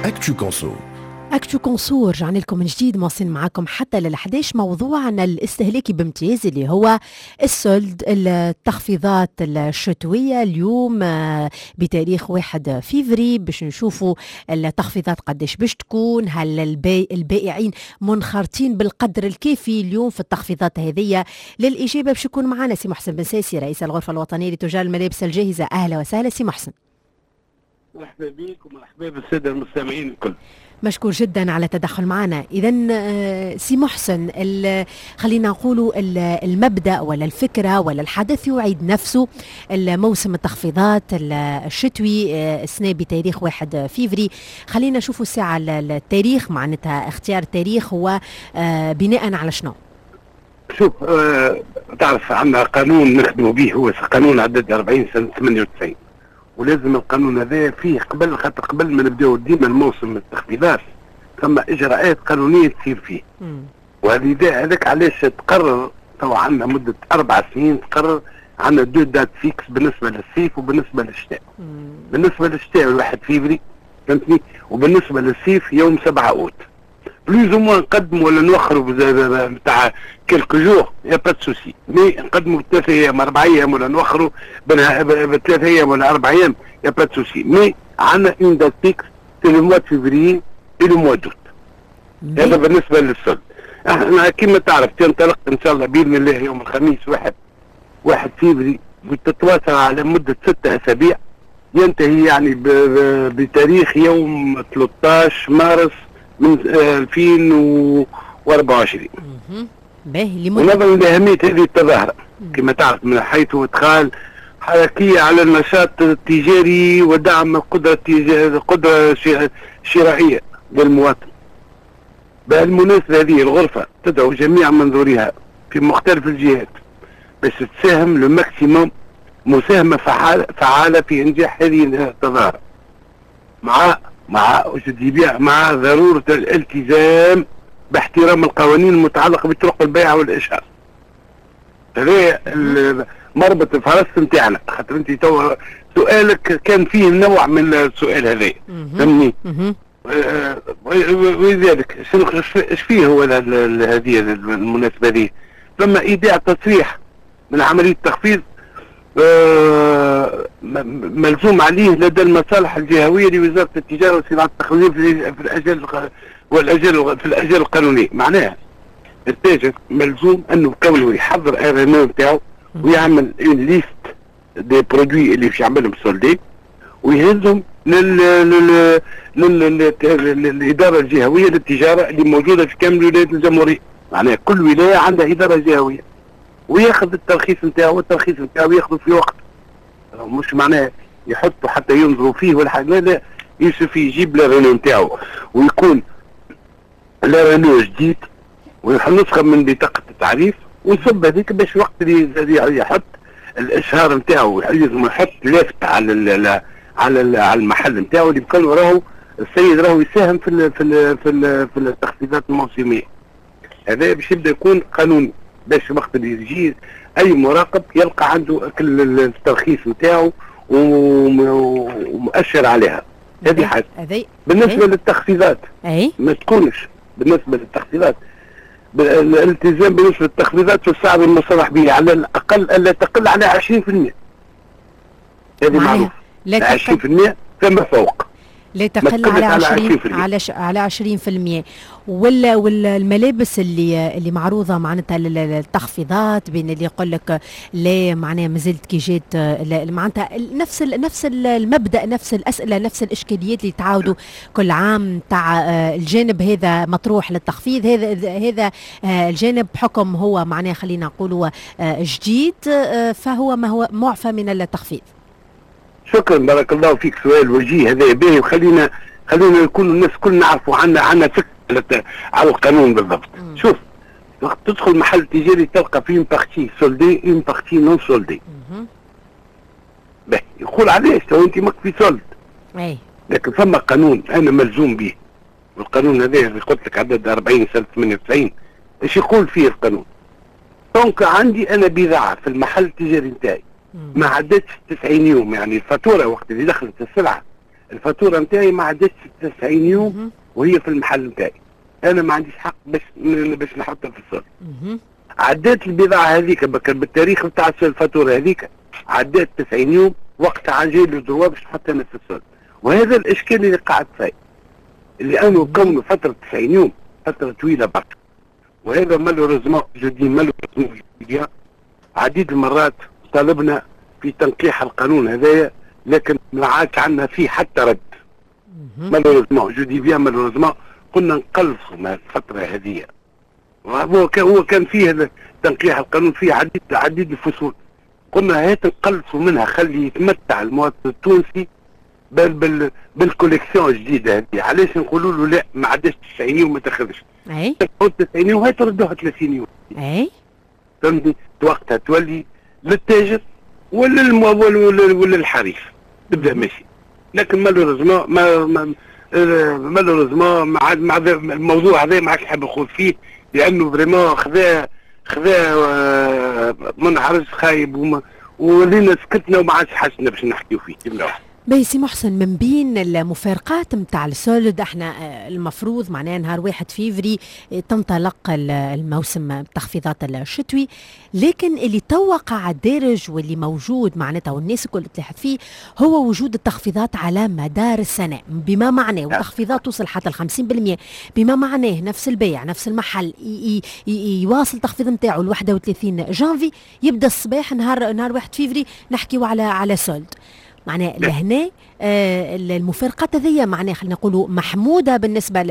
Actu Conso. Actu Conso، رجعنا لكم من جديد، مواصلين معاكم حتى لل11. موضوعنا الاستهلاكي بامتياز اللي هو ال soldes، التخفيضات الشتوية. اليوم بتاريخ 1 فيفري باش نشوفوا التخفيضات قداش باش تكون، هل البائعين منخرطين بالقدر الكافي اليوم في التخفيضات هذه؟ للإجابة باش يكون معنا سي محسن بن ساسي، رئيس الغرفة الوطنية لتجار الملابس الجاهزة. أهلا وسهلا سي محسن. مرحبا بك ومرحبا بالساده المستمعين الكل. مشكور جدا على التدخل معنا. اذا سي محسن، خلينا نقولوا المبدا ولا الفكرة ولا الحدث يعيد نفسه، الموسم التخفيضات الشتوي السنة بتاريخ 1 فيفري. خلينا نشوفوا الساعة التاريخ، معناتها اختيار التاريخ هو بناء على شنو؟ شوف، تعرف عندنا قانون نخدموا به، هو قانون عدد 40 سنة 98، ولازم القانون هذا فيه قبل، خاطر قبل ما نبداو ديما الموسم التخفيضات ثم اجراءات قانونية تصير فيه. وهذه هذاك علاش تقرر تو عندنا مده 4 سنين، تقرر عندنا deux dates fixes بالنسبة للصيف وبالنسبة للشتاء. بالنسبة للشتاء 1 فيفري، فهمتني، وبالنسبة للصيف يوم 7 اوت. plus ou moins نقدموا ولا نوخروا نتاع quelques jours، y a pas de souci، mais نقدموا ب3 ايام، 4 ايام، ولا نوخروا ب3 ايام ولا 4 ايام، y a pas de souci، mais عندنا une date fixe، c'est le mois de février et le mois d'août. هذا بالنسبة لل soldes. احنا كما تعرف تنطلق ان شاء الله باذن الله يوم الخميس 1 فيفري وتتواصل على مده 6 اسابيع، ينتهي يعني بتاريخ يوم 13 مارس من 2024. باهي. ونظرا لأهمية هذه التظاهرة كما تعرف من حيث إدخال حركية على النشاط التجاري ودعم القدرة الشرائية للمواطن، بهالمناسبة هذه الغرفة تدعو جميع منظوريها في مختلف الجهات باش تساهم le maximum مساهمة فعالة في إنجاح هذه التظاهرة، مع مع ضرورة الالتزام باحترام القوانين المتعلقة بطرق البيع والإشهار. هذا مربط الفرس نتاعنا، خاطر انت تو سؤالك كان فيه نوع من السؤال هذا، فهمني. ولذلك ايش فيه هو هذه المناسبة هذه؟ ثم ايداع تصريح من عملية تخفيض ملزوم عليه لدى المصالح الجهوية لوزارة التجارة وصناعة التخفيض في الاجال والاجال في الاجال القانونيه. معناها التاجر ملزوم انه كونه يحضر RNE نتاعو ويعمل une liste des produits اللي باش يعملهم solde ويهزهم للادارة الجهوية للتجارة اللي موجودة في كامل ولايات الجمهوريه. معناها كل ولاية عندها ادارة جهويه، وياخذ الترخيص نتاعو، والترخيص نتاعو ياخذه في وقت، مش معناه يحطوا حتى ينظروا فيه ولا حاجه، لا لا، il suffit يجيب l'RNE نتاعو ويكون l'RNE جديد ونسخة من بطاقة التعريف ويصب هذيك، باش وقت اللي يحط الاشهار نتاعو لازم يحط لافته على المحل نتاعو اللي بكون راهو السيد راهو يساهم في التخفيضات الموسميه. هذا باش يبدا يكون قانوني، باش وقت اللي يجي اي مراقب يلقى عنده كل الترخيص نتاعو ومؤشر عليها. هذه حاجة. بالنسبة للتخفيضات ما تكونش، بالنسبة للتخفيضات الالتزام بالنسبة للتخفيضات في السعر المصرح به على الاقل الا تقل على 20%، هذه معروف، لا 20% فما فوق. لا تقل على 20 على 20%. ولا الملابس اللي معروضة معناتها التخفيضات، بين اللي يقول لك لا معناها مازلت كي جات، معناتها نفس المبدا، نفس الاسئله، نفس الاشكاليات اللي تعاودوا كل عام، تاع الجانب هذا مطروح للتخفيض، هذا الجانب بحكم هو معناها خلينا نقولوا جديد فهو ما هو معفى من التخفيض. شكرا، بارك الله فيك، سؤال وجيه هذا باهي، وخلينا نكون الناس كل نعرفوا عندنا فكرة على القانون بالضبط. شوف، وقت تدخل محل تجاري تلقى فيه partie soldée، une partie non soldée. باهي، يقول علاش تو انت ماك في solde؟ لكن فما قانون انا ملزوم به، والقانون هذا اللي قلت لك عدد 40 سنة 98. ايش يقول فيه القانون؟ donc عندي انا بضاعة في المحل التجاري نتاعي ما عدتش 90 يوم، يعني الفاتورة وقت اللي دخلت السلعة الفاتورة نتاعي ما عدتش 90 يوم وهي في المحل نتاعي، انا ما عنديش حق باش نحطها في ال solde. عديت البضاعة هذيك بالتاريخ نتاع الفاتورة هذيك، عديت 90 يوم، وقتها j'ai le droit باش نحطها انا في ال solde. وهذا الاشكال اللي قاعد صاير، لانه كون فترة 90 يوم فترة طويلة برشا، وهذا malheureusement، je dis malheureusement، عديد المرات طالبنا في تنقيح القانون هذايا، لكن ما عادش عندنا فيه حتى رد. malheureusement، je dis bien malheureusement، قلنا نقلصوا من الفترة هذه. هو كان فيه تنقيح القانون فيه عديد الفصول، قلنا هات نقلصوا منها، خلي يتمتع المواطن التونسي بال collection الجديدة هذه. علاش نقولوا له لا، ما عادش 90 يوم ما تاخذش؟ 90 يوم هاي تردوها 30 يوم. فهمتني؟ وقتها تولي للتاجر ولا الحريف تبدا ماشي. لكن malheureusement ما malheureusement ما عاد الموضوع هذا ما عادش نحب نخوض فيه، لانه vraiment خذا منعرج خايب، ولينا سكتنا وما عادش حاجتنا باش نحكيو فيه جملة واحدة. باهي سي محسن، من بين المفارقات نتاع ال soldes، احنا المفروض معناها نهار 1 فيفري تنطلق الموسم التخفيضات الشتوي، لكن اللي توا قاعد دارج واللي موجود معناتها والناس الكل تلاحظ فيه هو وجود التخفيضات على مدار السنة، بما معناه وتخفيضات توصل حتى ال 50%، بما معناه نفس البيع نفس المحل يواصل التخفيض نتاعو ل 31 جانفي، يبدا الصباح نهار 1 فيفري نحكيو على solde. معناه لهنا المفارقات هذيا معناها خلينا نقولوا محمودة بالنسبة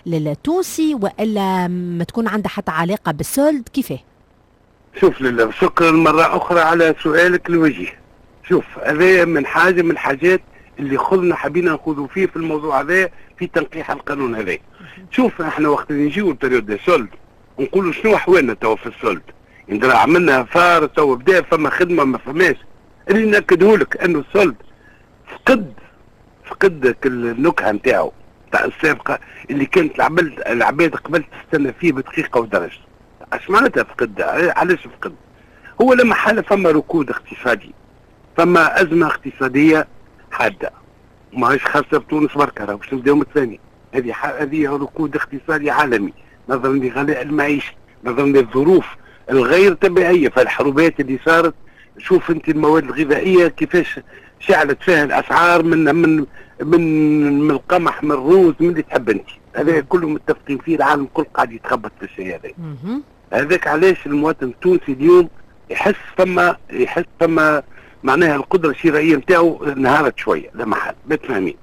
للتونسي والا ما تكون عندها حتى علاقة بال solde؟ كيفاه؟ شوف لله، شكرا مرة اخرى على سؤالك الوجيه. شوف، هذا من حاجة من الحاجات اللي خذنا حبينا نخوضوا فيه في الموضوع هذا، في تنقيح القانون هذا. شوف، احنا وقت اللي نجيو période des soldes نقولوا شنو احوالنا توا في ال solde؟ عملنا affaire؟ تو بدا فما خدمه؟ ما فماش. اللي ناكده لك انه ال solde فقد النكهة نتاعو تاع السابقة اللي كانت العباد قبل تستنى فيه بدقيقة ودرجه. اش معناتها فقد؟ علاش فقد؟ هو لما حالة فما ركود اقتصادي، فما ازمة اقتصادية حاده، ماهيش خاصة بتونس بركه، باش نبداو متفاهمين. هذه ركود اقتصادي عالمي نظرا لغلاء المعيشه، نظرا للظروف الغير طبيعيه، فالحروبات اللي صارت. شوف انت المواد الغذائية كيفاش شعلت فيها الاسعار، من القمح، من الروز، من اللي تحب انت. هذا كله متفقين فيه، العالم الكل قاعد يتخبط في الشيء هذا. هذاك علاش المواطن التونسي اليوم يحس فما معناها القدرة الشرائية نتاعو انهارت شويه، لا محل متفاهمين.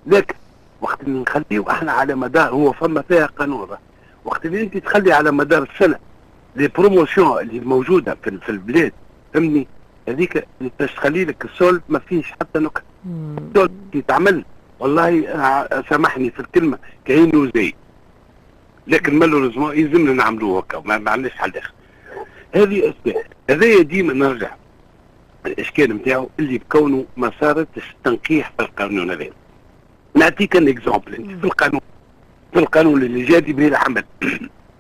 لكن وقت اللي نخليه احنا على مدار، هو فما فيها قانون، وقت اللي انت تخلي على مدار السنة les promotions اللي موجودة في البلاد، فهمني، هذيك باش تخلي لك ال solde ما فيش حتى نكهه. ال solde يتعمل والله سامحني في الكلمة كاينه زي، لكن malheureusement يلزمنا نعملوه هكا، ما عندناش حل اخر. هذه اسباب. هذايا ديما نرجع الاشكال نتاعو اللي بكونه ما صارتش تنقيح في القانون هذا. نعطيك un exemple، انت في القانون اللي جادي به العمل،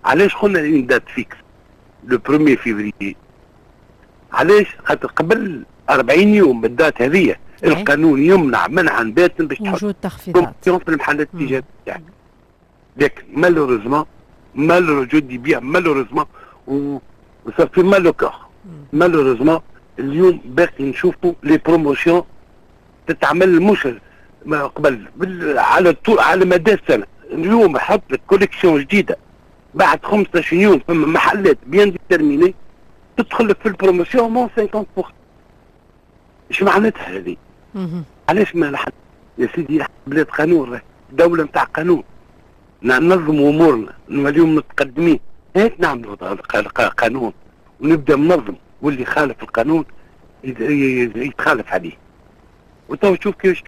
علاش قلنا une date fixe le 1 فيفري؟ علاش؟ خاطر قبل 40 يوم بال date هذه القانون يمنع منعا باتا باش تحط وجود تخفيضات في المحلات التجارية تاعك. لكن malheureusement، malheureusement، je dis bien malheureusement، و ça fait mal au cœur، malheureusement اليوم باقي نشوفوا les promotions تتعمل مش ما قبل على طول على مدى السنه. اليوم حط لك collection جديده، بعد 15 يوم فما محلات bien déterminées تدخل لك في ال promotion moins 50%. ايش معناتها هذه؟ علاش ما لحد يا سيدي بلاد قانون، دولة نتاع قانون، ننظموا امورنا، اليوم متقدمين، هات نعملوا قانون ونبدا منظم، واللي خالف القانون يتخالف عليه، وتو تشوف كيفاش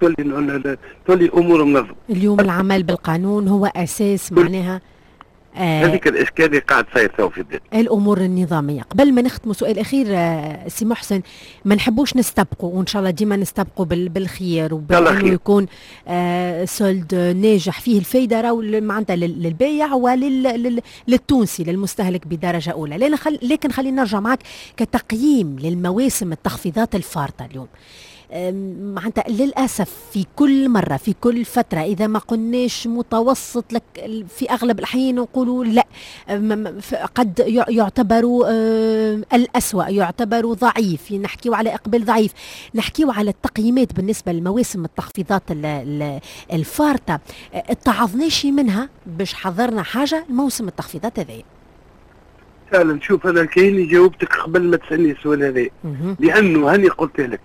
تولي امور منظمه. اليوم العمل بالقانون هو اساس معناها. هذيك الاشكال اللي قاعد صاير تو في البلاد. الامور النظامية. قبل ما نختم سؤال اخير سي محسن، ما نحبوش نستبقوا، وان شاء الله ديما نستبقوا بالخير وبانه يكون solde ناجح فيه الفايدة راهو معناتها للبايع وللتونسي للمستهلك بدرجة اولى. لكن خلينا نرجع معك كتقييم للمواسم التخفيضات الفارطه اليوم. معناتها للأسف في كل مرة في كل فترة، إذا ما قلناش متوسط لك في أغلب الأحيان نقولوا لا، قد يعتبر الأسوأ، يعتبر ضعيف، نحكيو على إقبال ضعيف، نحكيو على التقييمات بالنسبة لمواسم التخفيضات الفارطة. اتعظناش منها باش حضرنا حاجة الموسم التخفيضات هذايا؟ فعلا شوف، أنا كايني جاوبتك قبل ما تسألني السؤال هذا، لأنه هاني قلت لك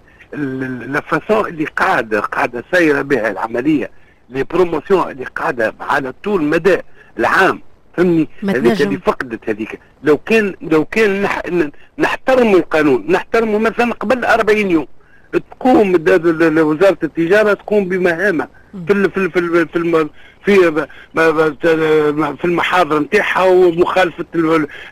la façon اللي قاعده سايرة بها العمليه، les promotions اللي قاعدة على طول مدى العام، فهمني؟ هذيك اللي فقدت هذيك. لو كان نحترموا القانون، نحترموا مثلا قبل 40 يوم تقوم وزارة التجارة تقوم بمهامها في المحاضر نتاعها ومخالفه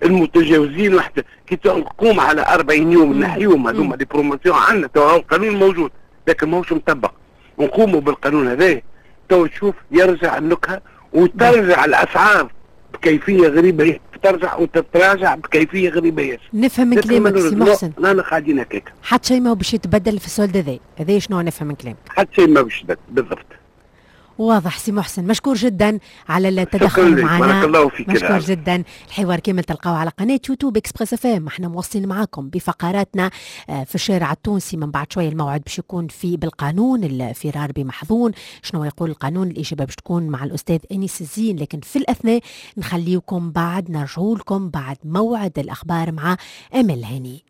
المتجاوزين. وحتى كي تقوم على 40 يوم نحيوهم هذوما les promotions. عندنا تو القانون موجود لكن ماهوش مطبق. ونقوموا بالقانون هذا تو تشوف يرجع النكهة وترجع الاسعار بكيفية غريبه، ترجع وتتراجع بكيفية غريبة ياسر. نفهم من كلامك سي محسن لا قاعدين هكاك. حتى شيء ما هو باش يتبدل في ال solde هذا، هذا شنو نفهم من كلامك؟ حتى شيء ما باش يتبدل بالضبط. واضح سي محسن، مشكور جدا على التدخل معنا. بارك الله فيك. مشكور جدا. الحوار كامل تلقاوه على قناة يوتيوب Express FM. احنا مواصلين معاكم بفقراتنا في الشارع التونسي. من بعد شوية الموعد باش يكون في بالقانون، الفرار بمحظون، شنو يقول القانون؟ الاجابة باش تكون مع الاستاذ انيس الزين. لكن في الاثناء نخليكم بعد، نرجعوا لكم بعد موعد الاخبار مع امل هاني.